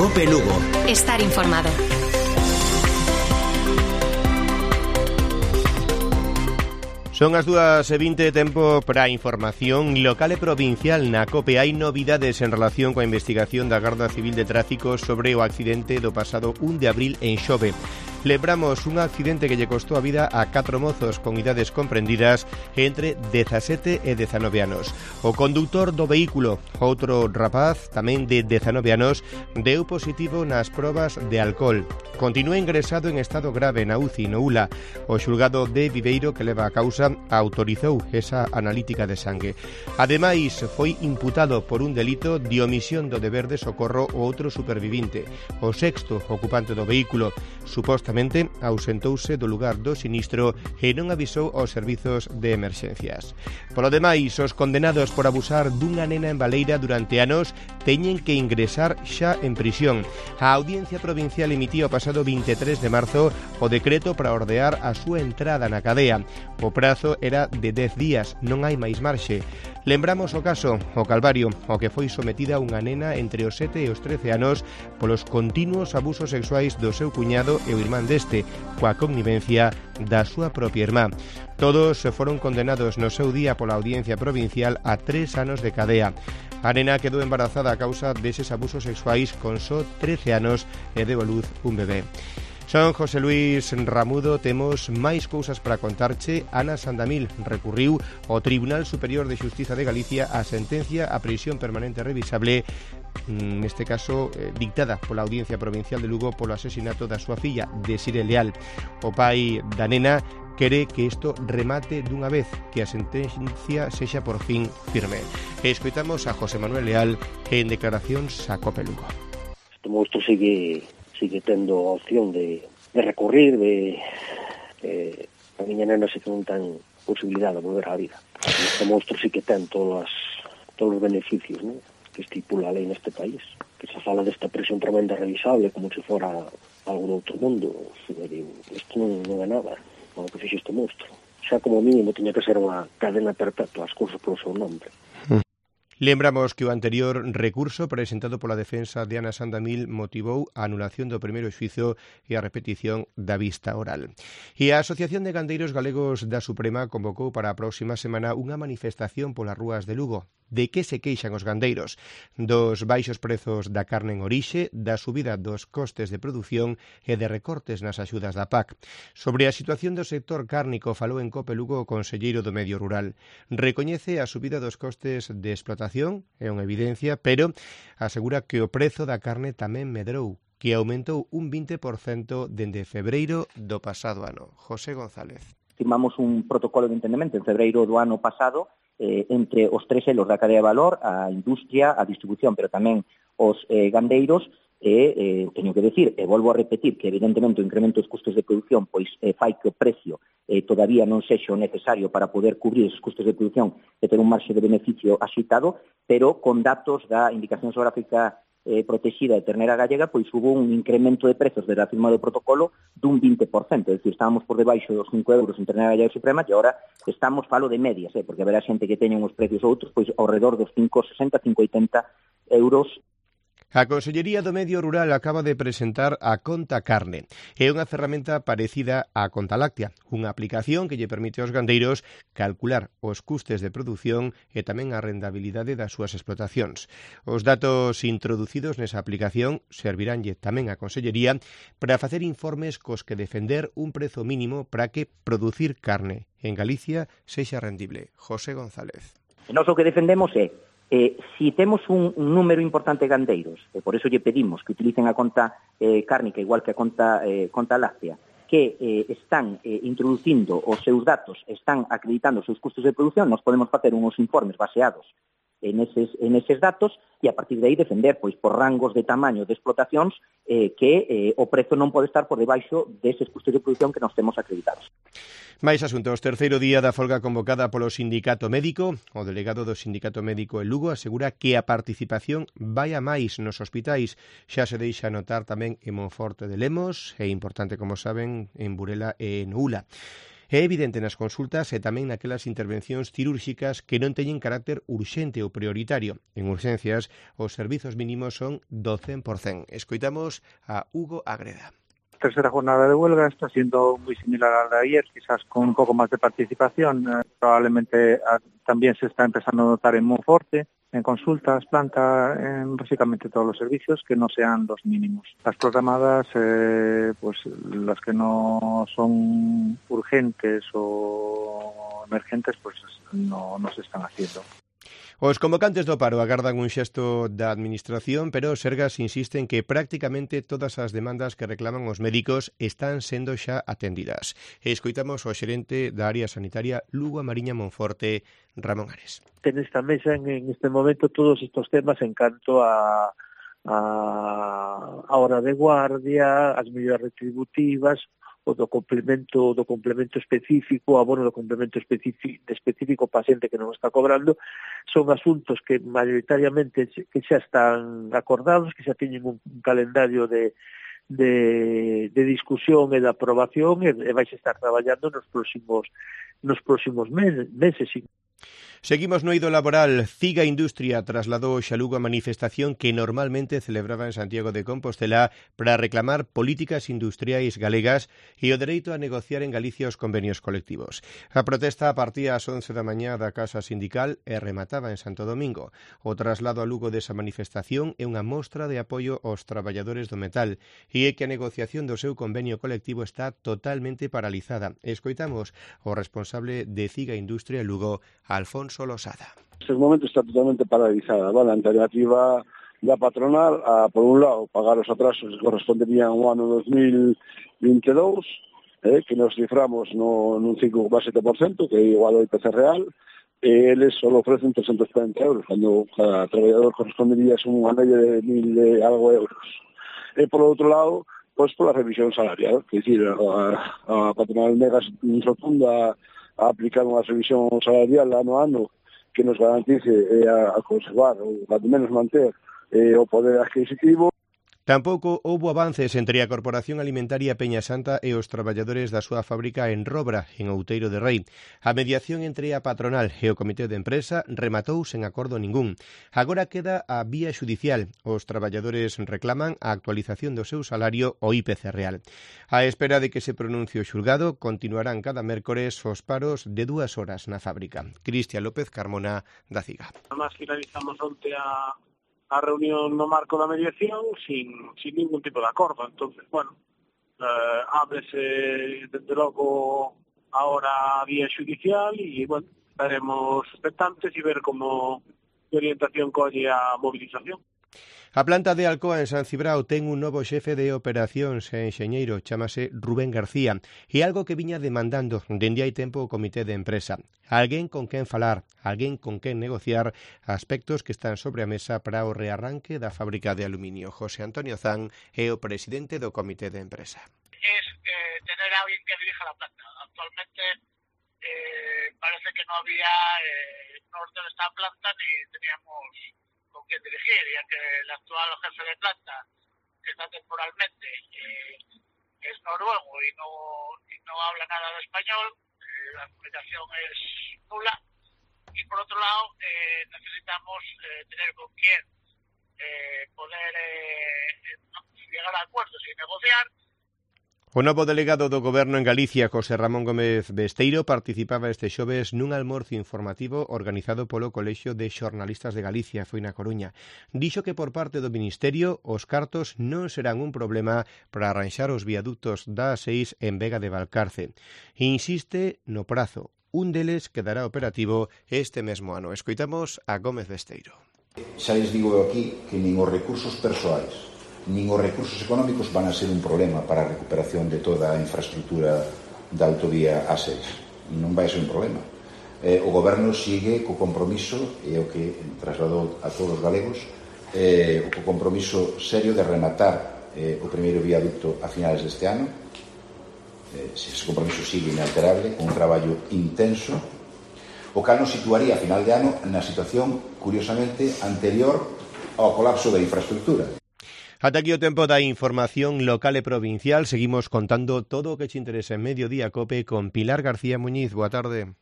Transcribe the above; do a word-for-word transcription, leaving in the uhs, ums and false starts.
Cope Lugo. Estar informado. Son as dúas e vinte, tempo para a información local e provincial na COPE. Hai novidades en relación coa investigación da Garda Civil de Tráfico sobre o accidente do pasado un de abril en Xove. Lembramos un accidente que lle costou a vida a catro mozos con idades comprendidas entre dezasete e dezanove anos. O conductor do vehículo, outro rapaz, tamén de dezanove anos, deu positivo nas probas de alcohol. Continúa ingresado en estado grave na U C I no U L A. O xulgado de Viveiro que leva a causa autorizou esa analítica de sangue. Ademais, foi imputado por un delito de omisión do deber de socorro o outro supervivinte. O sexto ocupante do vehículo supostamente ausentouse do lugar do sinistro e non avisou aos servizos de emerxencias. Polo demais, os condenados por abusar dunha nena en Baleira durante anos teñen que ingresar xa en prisión. A Audiencia Provincial emitiu o pasado vinte e tres de marzo o decreto para ordear a súa entrada na cadea. O prazo era de dez días, non hai máis marxe. Lembramos o caso, o Calvario, o que foi sometida unha nena entre os sete e os trece anos polos continuos abusos sexuais do seu cuñado e o irmán deste, coa connivencia da súa propia irmá. Todos foron condenados no seu día pola Audiencia Provincial a tres anos de cadea. A nena quedou embarazada a causa deses abusos sexuais con só trece anos e deu a luz un bebé. Son José Luis Ramudo, temos máis cousas para contarche. Ana Sandamil recurriu ao Tribunal Superior de Xustiza de Galicia a sentencia a prisión permanente revisable, neste caso eh, dictada pola Audiencia Provincial de Lugo polo asesinato da súa filla, Desire Leal. O pai da nena quere que isto remate dunha vez, que a sentencia sexa por fin firme. E escoitamos a José Manuel Leal en declaracións a Cope Lugo. Este monstro sigue sigue tendo a opción de, de recurrir, de, de a miña nena se que non ten posibilidade de volver á vida. Este monstro sí que ten todos, todos os beneficios, ¿no?, que estipula a lei neste país, que se fala desta prisión permanente revisable como se fora algo do outro mundo. Isto non, non é nada, o que fixe este monstro. Xa como mínimo tiña que ser unha cadena perpetua, as cousas polo seu nombre. Lembramos que o anterior recurso presentado pola defensa de Ana Sandamil motivou a anulación do primeiro xuízo e a repetición da vista oral. E a Asociación de Gandeiros Galegos da Suprema convocou para a próxima semana unha manifestación polas rúas de Lugo. De que se queixan os gandeiros? Dos baixos prezos da carne en orixe, da subida dos costes de produción e de recortes nas axudas da P A C. Sobre a situación do sector cárnico falou en Cope Lugo o conselleiro do Medio Rural. Recoñece a subida dos costes de explotación, é unha evidencia, pero asegura que o prezo da carne tamén medrou, que aumentou un vinte por cento dende febreiro do pasado ano. José González. Firmamos un protocolo de entendemento en febreiro do ano pasado eh, entre os tres elos da cadea de valor, a industria, a distribución, pero tamén os eh, gandeiros, e eh, teño que decir, e volvo a repetir, que evidentemente o incremento dos custos de produción pois eh, fai que o precio eh, todavía non sexa o necesario para poder cubrir esos custos de produción e ter un marxe de beneficio axeitado, pero con datos da indicación xeográfica eh, protegida de ternera gallega, pois hubo un incremento de prezos desde a firma do protocolo dun vinte por cento, é dicir, estábamos por debaixo dos cinco euros en ternera gallega suprema e agora estamos, falo de medias, eh, porque haberá xente que teña uns precios outros, pois ao redor dos cinco sesenta, cinco oitenta euros. A Consellería do Medio Rural acaba de presentar a Conta Carne. É unha ferramenta parecida á Conta Láctea, unha aplicación que lle permite aos gandeiros calcular os custes de produción e tamén a rentabilidade das súas explotacións. Os datos introducidos nesa aplicación serviránlle tamén á Consellería para facer informes cos que defender un prezo mínimo para que producir carne en Galicia sexa rendible. José González. E nós o que defendemos é Eh, si temos un, un número importante de gandeiros, e por eso lle pedimos que utilicen a conta eh, cárnica igual que a conta, eh, conta láctea, que eh, están eh, introducindo os seus datos, están acreditando os seus custos de produción, nos podemos facer uns informes baseados en eses, en eses datos e a partir de aí defender pois por rangos de tamaño de explotacións eh, que eh, o prezo non pode estar por debaixo deses custos de produción que nos temos acreditados. Máis asuntos. Terceiro día da folga convocada polo Sindicato Médico. O delegado do Sindicato Médico en Lugo asegura que a participación vai a máis nos hospitais. Xa se deixa notar tamén en Monforte de Lemos e importante, como saben, en Burela e en U L A. É evidente nas consultas e tamén naquelas intervencións cirúrxicas que non teñen carácter urxente ou prioritario. En urxencias, os servizos mínimos son do cen por cento. Escoitamos a Hugo Agreda. La tercera jornada de huelga está siendo muy similar a la de ayer, quizás con un poco más de participación. Eh, probablemente a, también se está empezando a notar en Monforte, en consultas, planta, en básicamente todos los servicios que no sean los mínimos. Las programadas, eh, pues las que no son urgentes o emergentes, pues no, no se están haciendo. Os convocantes do paro agardan un xesto da Administración, pero Sergas insiste en que prácticamente todas as demandas que reclaman os médicos están sendo xa atendidas. Escoitamos o xerente da área sanitaria Lugo a Mariña Monforte, Ramón Ares. En esta mesa, en, en este momento, todos estos temas en canto a, a, a hora de guardia, as medidas retributivas, o do complemento do complemento específico, abono do complemento específico, específico paciente que non está cobrando, son asuntos que maioritariamente que xa están acordados, que xa teñen un, un calendario de, de, de discusión e de aprobación e, e vais estar traballando nos próximos nos próximos meses. meses. Seguimos no eido laboral. Ciga Industria trasladou xa Lugo a manifestación que normalmente celebraba en Santiago de Compostela para reclamar políticas industriais galegas e o dereito a negociar en Galicia os convenios colectivos. A protesta partía ás once da mañá da Casa Sindical e remataba en Santo Domingo. O traslado a Lugo desa manifestación é unha mostra de apoio aos traballadores do metal e é que a negociación do seu convenio colectivo está totalmente paralizada. Escoitamos o responsable de Ciga Industria Lugo, Alfonso Losada. En este momento está totalmente paralizada, ¿vale? La alternativa da patronal a, por un lado, pagar os atrasos que corresponderían ao ano dos mil vinte e dous, eh, que nos ciframos no, nun cinco coma sete por cento, que é igual ao I P C real, e eles só ofrecen trescentos cuarenta euros, cando cada traballador correspondería a unha media de mil e algo euros. E, por outro lado, pois pola revisión salarial, que é dicir, a, a patronal nega rotunda a aplicar unha revisión salarial ano a ano que nos garantice eh, a, a conservar ou a menos manter eh, o poder adquisitivo. Tampouco houbo avances entre a Corporación Alimentaria Peña Santa e os traballadores da súa fábrica en Robra, en Outeiro de Rei. A mediación entre a patronal e o comité de empresa rematou sen acordo ningún. Agora queda a vía xudicial. Os traballadores reclaman a actualización do seu salario ao I P C real. A espera de que se pronuncie o xulgado, continuarán cada mércores os paros de dúas horas na fábrica. Cristian López Carmona, da Ciga. Además, finalizamos onte a a reunión no marco da mediación sin, sin ningún tipo de acordo. Entonces, bueno, eh, ábrese desde logo ahora a vía judicial y, bueno, estaremos expectantes y ver como de orientación colle a movilización. A planta de Alcoa en San Cibrao ten un novo xefe de operacións e enxeñeiro, chámase Rubén García, e algo que viña demandando dende hai tempo o comité de empresa. Alguén con quen falar, alguén con quen negociar aspectos que están sobre a mesa para o rearranque da fábrica de aluminio. José Antonio Zan é o presidente do comité de empresa. Es eh, tener a alguien que dirija la planta. Actualmente eh, parece que no había eh, norte de esta planta ni teníamos con quien dirigir, ya que el actual jefe de planta, que está temporalmente, eh, es noruego y no, y no habla nada de español, eh, la comunicación es nula, y por otro lado eh, necesitamos eh, tener con quién eh, poder eh, llegar a acuerdos y negociar. O novo delegado do Goberno en Galicia, José Ramón Gómez Besteiro, participaba este xoves nun almorzo informativo organizado polo Colexio de Xornalistas de Galicia, foi na Coruña. Dixo que por parte do Ministerio os cartos non serán un problema para arranxar os viaductos da A seis en Vega de Valcarce. Insiste no prazo. Un deles quedará operativo este mesmo ano. Escoitamos a Gómez Besteiro. Xa les digo aquí que nin os recursos persoais nin os recursos económicos van a ser un problema para a recuperación de toda a infraestructura da autovía A seis. Non vai ser un problema. Eh, o Goberno sigue co compromiso, e o que trasladou a todos os galegos, eh, o compromiso serio de rematar eh, o primeiro viaducto a finales deste ano. Eh, se ese compromiso sigue inalterable, con un traballo intenso, o cal nos situaría a final de ano na situación, curiosamente, anterior ao colapso da infraestructura. Ata aquí o tempo da información local e provincial. Seguimos contando todo o que te interesa en Mediodía Cope con Pilar García Muñiz. Boa tarde.